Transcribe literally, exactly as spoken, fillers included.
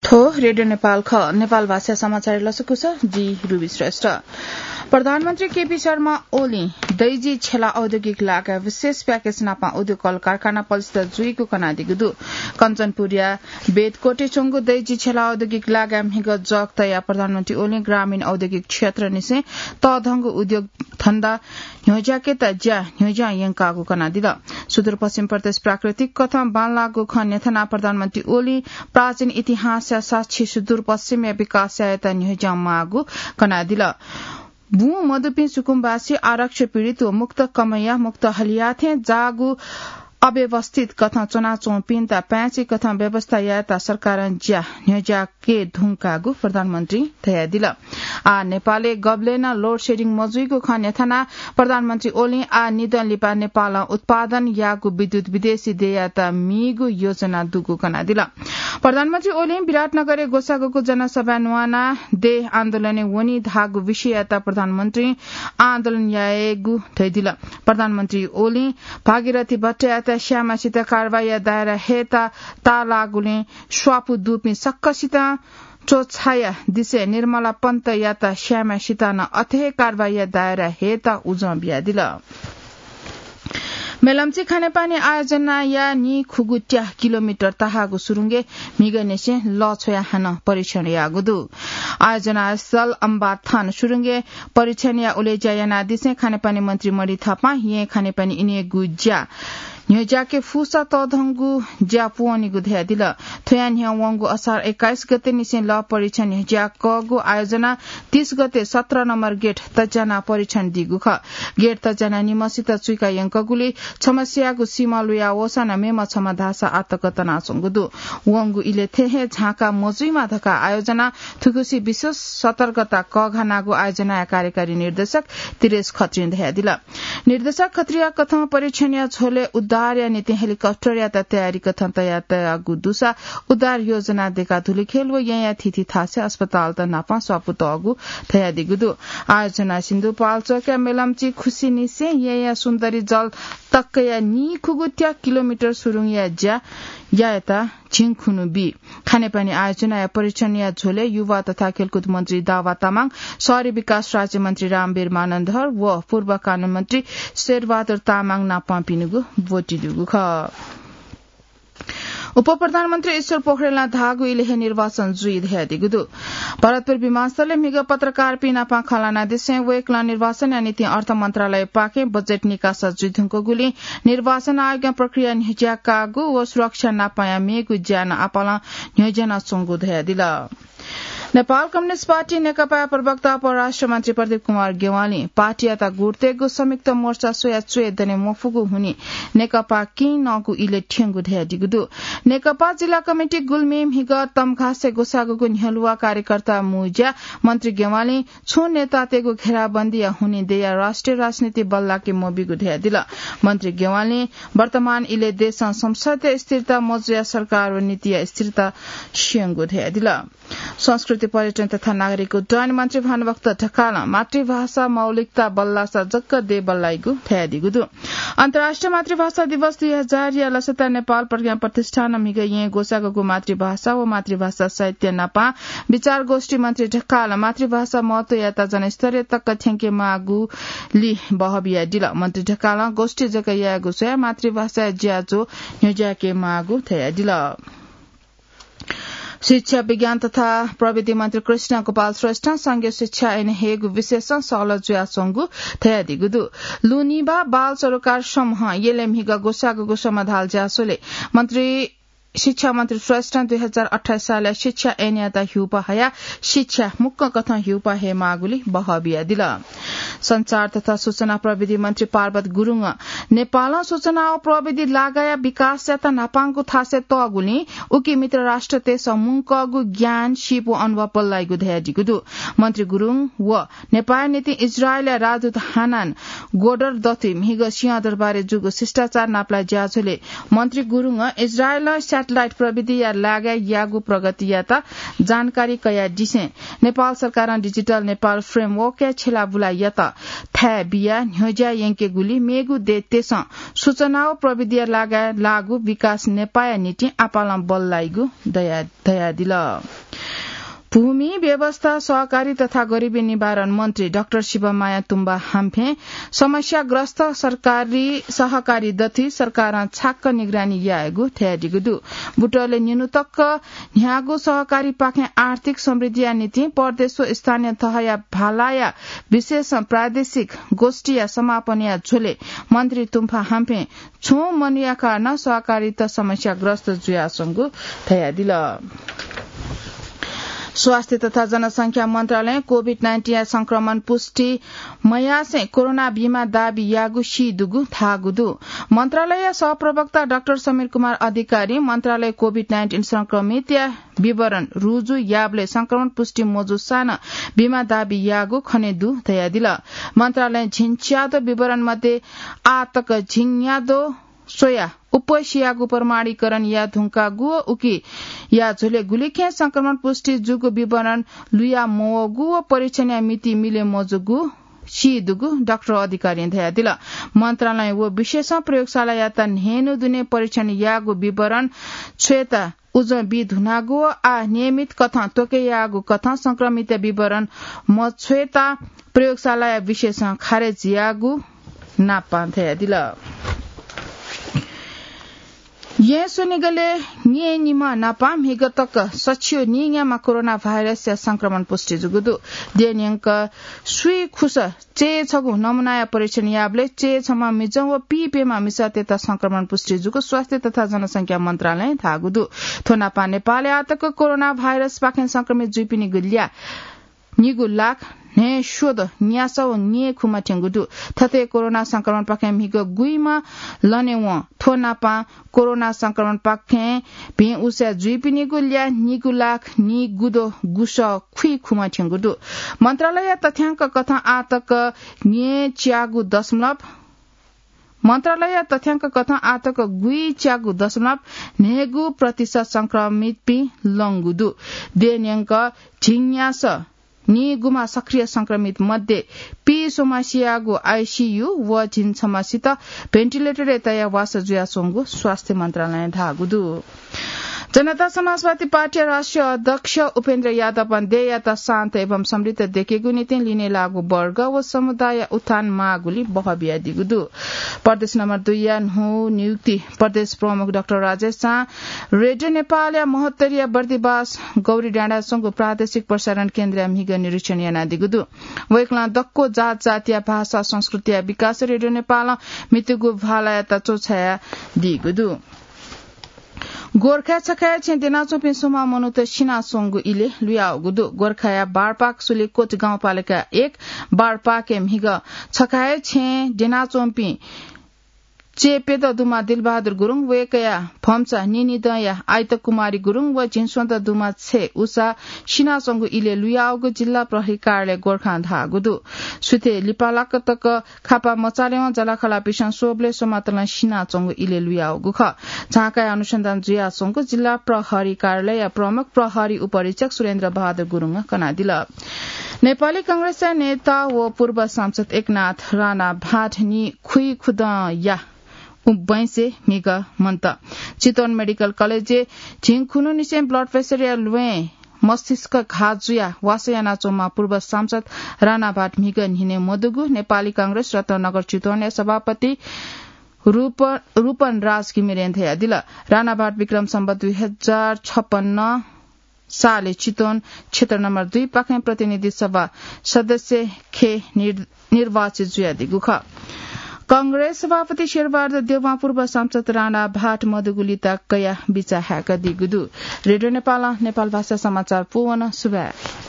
हो, रेडियो नेपाल ख, नेपाल भाषा समाचार लसकुस, जि रुबी श्रेष्ठ। प्रधानमन्त्री केपी शर्मा ओली दैजी छेला औद्योगिक लागाय् विशेष प्याकेज नापं उद्योग कल कारखाना पलिस्था जुइगु कनादीगु दु। कञ्चनपुरया बेदकोटे च्वंगु दैजी छेला औद्योगिक लागाय् म्हिगः जग तयाः प्रधानमन्त्री ओली ग्रामीण औद्योगिक क्षेत्र निसें तःधंगु उद्योग धन्दा न्ह्यज्याकेत ज्या न्ह्यज्यां यंकागु कनादिल। सुदूरपश्चिम प्रदेश प्राकृतिक कथं बांलाःगु खँ न्ह्यथनाः प्रधानमन्त्री ओली प्राचीन इतिहासया साक्षी सुदूरपश्चिमया विकास यायेत न्ह्यज्यां माःगु कनादिल। बुँ मदुपिं सुकुम्बासी, आरक्ष पीडित व मुक्त कमया मुक्त हलिया थें जाःगु अव्यवस्थित कथं च्वनाच्वंपिन्त पाय्‌छि कथं व्यवस्था यायेत सरकारं ज्या न्ह्यज्याके धुंकागु प्रधानमन्त्री धयादिल। आ, नेपालय् गबलें नं load shedding मजुइगु खँ न्ह्यथनाः प्रधानमन्त्री ओलीं आ निदँ लिपा नेपालं उत्पादन याःगु विद्युत विदेशी देय्‌यात मीगु योजना दुगु कनादिल। प्रधानमन्त्री ओलीं विराटनगरय् ग्वसाःगु जनसभाय् न्वानाः देय् आन्दोलनय् वनी धाःगु विषययात प्रधानमन्त्रीं आन्दोलन यायेगु धयादिल। प्रधानमन्त्री ओलीं भागीरथी भट्टयात स्यायेमाःसित कारवाहीया दायरा हयेत ताःलाःगुलिं स्वापू दुपिं सकसितं च्वछाया दिसे निर्मला पन्तयात स्यायेमाःसित नं अथे हे कारवाहीया दायरा हयेत उजं बियादिल। मेलम्ची खानेपानी आयोजनाया नीखुगु त्या किलोमिटर तहाःगु सुरुङय् म्हिगःनिसें लः छ्वयाः हानं परीक्षण याःगु दु। आयोजना स्थल अम्बाथान सुरुङय् परीक्षणया उलेज्या यानादिसें खानेपानी मन्त्री मणि थापां येँ खानेपानी इनेगु ज्या न्ह्यज्याके फुसा तःधंगु ज्या पूवनीगु धयादिल। थ्वया न्ह्यः वंगु असार एक्काइस गते निसें लः परीक्षण न्ह्यज्याकःगु आयोजना तीस गते सत्र नम्बर गेट तज्यानाः परीक्षण दीगु खः। गेट तज्यानाः निम्हसित चुइका यंकगुलिं छम्हस्यागु सीम्ह लुया वःसा नं मेम्ह छम्ह धाःसा आतक तनाच्वंगु दु। वंगु इलय् थें हे झांका मजुइमा धकाः आयोजना थुगुसी विशेष सतर्कता कःघानागु आयोजनाया कार्यकारी निर्देशक तिरेश खत्रीं धयादिल। निर्देशक खत्रीया कथं परीक्षणया झ्वलय् उद्धारया निंतिं हेलिकप्टरयात तयारी कथं तयार तयागु दुसा उद्धार योजना देकाः धुलिखेल व येँया थीथी थासय् अस्पतालत नापं स्वापू तःगु धयादीगु दु। आयोजना सिन्धुपाल्चोकया मेलम्ची खुसीनिसें येँया सुन्दरी जल तकया नीखुगु त्या किलोमिटर सुरुङया ज्या यायेत झिंखुन्हु बी। खानेपानी आयोजनाया परीक्षणया झ्वलय् युवा तथा खेलकुद मन्त्री दावा तामाङ, शहरी विकास राज्य मन्त्री रामवीर मानन्धर व पूर्व कानून मन्त्री शेरबहादुर तामाङ नापं पिनिगु ब्वति दुगु खः। उपप्रधानमन्त्री ईश्वर पोखरेलं धाःगु इलय् हे निर्वाचन जुइ धयादीगु दु। भरतपुर विमानस्थलय् म्हिगः पत्रकारपिं नापं खँ ल्हानादिसें वय्‌कलं निर्वाचनया निंतिं अर्थ मन्त्रालयपाखें बजेट निकासा जुइधुंकूगुलिं निर्वाचन आयोगं प्रक्रिया न्ह्यज्याकागु व सुरक्षा नापंया मेगु ज्या नं आपालं न्ह्यज्यानाच्वंगु धयादिल। नेपाल कम्युनिस्ट पार्टी नेकपाया प्रवक्ता परराष्ट्र मन्त्री प्रदीप कुमार ज्ञवालीं पार्टीयात गुट्टेगु संयुक्त मोर्चा स्वयाः च्वय् दने मफुगु हुनिं नेकपा किं नःगु इलय् थ्यंगु धयादीगु दु। नेकपा जिल्ला कमिटी गुल्मी म्हिगः तमघासय् ग्वसाःगु न्ह्यलुवा कार्यकर्ता मुँज्या मन्त्री ज्ञवालीं छुं नेतातय्‌गु घेराबन्दीया हुनिं दयाः राष्ट्रिय राजनीति बल्लाके मबीगु धयादिल। मन्त्री ज्ञवालीं वर्तमान इलय् देशं संसदया स्थिरता मजुयाः सरकार व नीतिया स्थिरता स्यंगु धयादिल। संस्कृति, पर्यटन तथा नागरिक उड्डयन मन्त्री भानुभक्त ढकालं मातृभाषा मौलिकता बल्लासा जक देय् बल्लाइगु धयादीगु दु। अन्तर्राष्ट्रिय मातृभाषा दिवस दुई हजारया लसता नेपाल प्रज्ञा प्रतिष्ठानं म्हिगः येँय् ग्वसाःगु मातृभाषा व मातृभाषा साहित्य नापं विचार गोष्ठी मन्त्री ढकालं मातृभाषा महत्वयात जनस्तरीय तक थ्यंके माःगुलिं बहः बियादिल। मन्त्री ढकालं गोष्ठी जक यायेगु स्वयाः मातृभाषाया ज्याझ्वः न्ह्यज्याके माःगु धयादिल। शिक्षा, विज्ञान तथा प्रविधि मन्त्री कृष्ण गोपाल श्रेष्ठं संघीय शिक्षा ऐन हयेगु विषयसं सहलह जुयाच्वंगु धयादीगु दु। लुनिभा बाल सरोकार समूहं यलय् म्हिगः ग्वसाःगु समाधाल ज्याझ्वलय् मन्त्री, शिक्षा मन्त्री श्रेष्ठं दुई हजार अट्ठाइस सालया शिक्षा ऐनयात ह्यूपाः हयाः शिक्षा मुक्कं कथं ह्यूपाः हयेमाःगुलिं बहः बियादिल। सञ्चार तथा सूचना प्रविधि मन्त्री पार्वत गुरुङं नेपालं सूचना व प्रविधि लागाया विकासयात न्हापांगु थासय् तःगुलिं उकी मित्र राष्ट्रतय्‌सं मुंकःगु ज्ञान, सीप व अनुभव बल्लाइगु धयादीगु दु। मन्त्री गुरुङ व नेपाःया निंतिं इजरायलया राजदूत हानान गोडर दथुइ म्हिगः सिंहदरबारय् जूगु शिष्टाचार नापलाये ज्याझ्वलय् मन्त्री गुरुङं इजरायलं satellite प्रविधिया लागाय् याःगु प्रगतियात जानकारी कयादिसें नेपाल सरकारं digital Nepal framework-या छ्यलाबुलायात थाय् बियाः न्ह्यज्याः यंकेगुलिं मेगु देशतय्‌सं सूचना व प्रविधिया लागाय् लाःगु विकास नेपाःया निंतिं आपालं बल्लाइगु दया-, धयादिल। भूमि व्यवस्था, सहकारी तथा गरिबी निवारण मन्त्री डाक्टर शिवमाया तुम्बा हाम्फें समस्याग्रस्त सरकारी सहकारी दथुइ सरकारं छाक्क निगरानी यायेगु धयादीगु दु। बुटले निन्हु तक न्ह्यागु सहकारीपाखें आर्थिक समृद्धिया निंतिं प्रदेश व स्थानीय तहया भालाया विशेष प्रादेशिक गोष्ठीया समापनया झ्वलय् मन्त्री तुम्बा हाम्फें छुं मनूया कारणं सहकारीत समस्याग्रस्त जुयाच्वंगु धयादिल। स्वास्थ्य तथा जनसंख्या मन्त्रालयं कोभिड नाइन्टिनया संक्रमण पुष्टि मयासें कोरोना बीमा दाबी याःगु सी दुगु धाःगु दु। मन्त्रालयया सहप्रवक्ता डाक्टर समीर कुमार अधिकारी मन्त्रालय कोभिड नाइन्टिन संक्रमितया विवरण रुजु याःबलय् संक्रमण पुष्टि मजूसां नं बीमा दाबी याःगु खने दु धयादिल। मन्त्रालयं झिंच्यादँ विवरण मध्ये आः तक झिंयादँ स्वयाः उपसियागु प्रमाणीकरण याये धुंकागु व उकिया झ्वलय् गुलिखें संक्रमण पुष्टि जूगु विवरण लुया मवःगु व परीक्षणया मिति मिले मजूगु सी दुगु डाक्टर अधिकारीं धयादिल। मन्त्रालय व विशेष प्रयोगशालायात न्हय्न्हु दुने परीक्षण याःगु विवरण छ्वयेत उजं बी धुनागु व आः नियमित कथं त्वके याःगु कथं संक्रमित विवरण मछ्वयेत प्रयोगशालाया विशेष खारेज याःगु नापं धयादिल। येँ स्वनिगलय् न्येनिम्ह नापं म्हिगः तक सछियो नीन्याम्ह कोरोना भाइरसया संक्रमण पुष्टि जूगु दु। देय् न्यंक स्वीखुस चय् छगू नमुनाया परीक्षण याःबलय् चय् छम्ह मिजं व पीप्यम्ह मिसातय्त संक्रमण पुष्टि जूगु स्वास्थ्य तथा जनसंख्या मन्त्रालयं धाःगु दु। थ्व नापं नेपालय् आः तक कोरोना भाइरसपाखें संक्रमित जुइपिनिगु ल्याः निगू लाख न्हय्स्वदँ न्यासः व न्येखु मथ्यंगु दु। थथे कोरोना संक्रमणपाखें म्हिगः गुइम्ह लने वं। थ्व नापं कोरोना संक्रमणपाखें भिं उसाँय् जुइपिनिगु ल्याः निगू लाख निगूदँ गुसः खुइखु मथ्यंगु दु। मन्त्रालयया तथ्यांक कथं आः तक न्येच्यागू दशमलव मन्त्रालयया तथ्यांक कथं आः तक गुइच्यागू दशमलव न्हय्गू प्रतिशत संक्रमितपिं लंगु दु। देय् न्यंक झिंन्यासः निगूम्ह सक्रिय संक्रमित मध्ये पीस्वम्ह सियागु आइसियु व झिंछम्हसित भेन्टिलेटरय् तयाः वासः जुयाच्वंगु स्वास्थ्य मन्त्रालयं धाःगु दु। जनता समाजवादी पार्टीया राष्ट्रिय अध्यक्ष उपेन्द्र यादवं देय्‌यात शान्त एवं समृद्ध दयेकेगु निंतिं लिने लाःगु वर्ग व समुदाय उत्थान माःगुलिं बहः बियादीगु दु। प्रदेश नम्बर दुईया न्हू नियुक्ति प्रदेश प्रमुख डाक्टर राजेश झां रेडियो नेपालया महोत्तरीया बर्दिबास गौरीडाँडाय् च्वंगु प्रादेशिक प्रसारण केन्द्रया म्हिगः निरीक्षण यानादीगु दु। वय्‌कलं दक्व जात जातिया भाषा संस्कृतिया विकास रेडियो नेपालं म्हितूगु भालायात च्वछायादीगु दु। गोर्खाय् छखाय् छेँय् द्यनाच्वंपिं स्वम्ह मनूत सिनाच्वंगु इलय् लुयावःगु दु। गोर्खाया बारपाक सुलिकोट गाउँपालिका एक बारपाकय् म्हिगः छखाय् छेँय् द्यनाच्वंपिं चय्‌प्यदँ दुम्ह दिलबहादुर गुरुङ, वय्‌कःया भम्चा निनिदँया आइत कुमारी गुरुङ व झिंस्वदँ दुम्ह छय् उषा सिनाच्वंगु इलय् लुयावःगु जिल्ला प्रहरी कार्यालय गोर्खां धाःगु दु। सुथय् लिपालाक तक खापा मचालेवं जलाखला पिसं स्वःबलय् स्वम्हतलं सिनाच्वंगु इलय् लुयावःगु खः। झाँक्रीया अनुसन्धान जुयाच्वंगु जिल्ला प्रहरी कार्यालयया प्रमुख प्रहरी उपरीक्षक सुरेन्द्र बहादुर गुरुङं कनादिल। नेपाली कांग्रेसया नेता व पूर्व सांसद एकनाथ राणाभाट नीखुइखुदँया उ-, बैंसय् म्हिगः मन्त। चितवन मेडिकल कलेजय् झिंखुन्हुनिसें blood pressureया ल्वय् मस्तिष्क घात जुयाः वासः यानाच्वंम्ह पूर्व सांसद राणाभाट म्हिगः न्हिनय् मदुगु नेपाली कांग्रेस रत्ननगर चितवनया सभापति रूप-, रूपन राज घिमिरें धयादिल। राणाभाट विक्रम सम्वत दुई हजार छपन्न सालय् चितवन क्षेत्र नम्बर दुई पाखें प्रतिनिधि सभा सदस्य खे निर-, निर्वाचित जुयादीगु खः। कांग्रेस सभापति शेरबहादुर देउवां पूर्व सांसद राणाभाट मदुगु लिता कयाः बिचाः हाय्कादीगु दु। रेडियो नेपालं नेपाल भाषा समाचार पूवन। सुभाय्।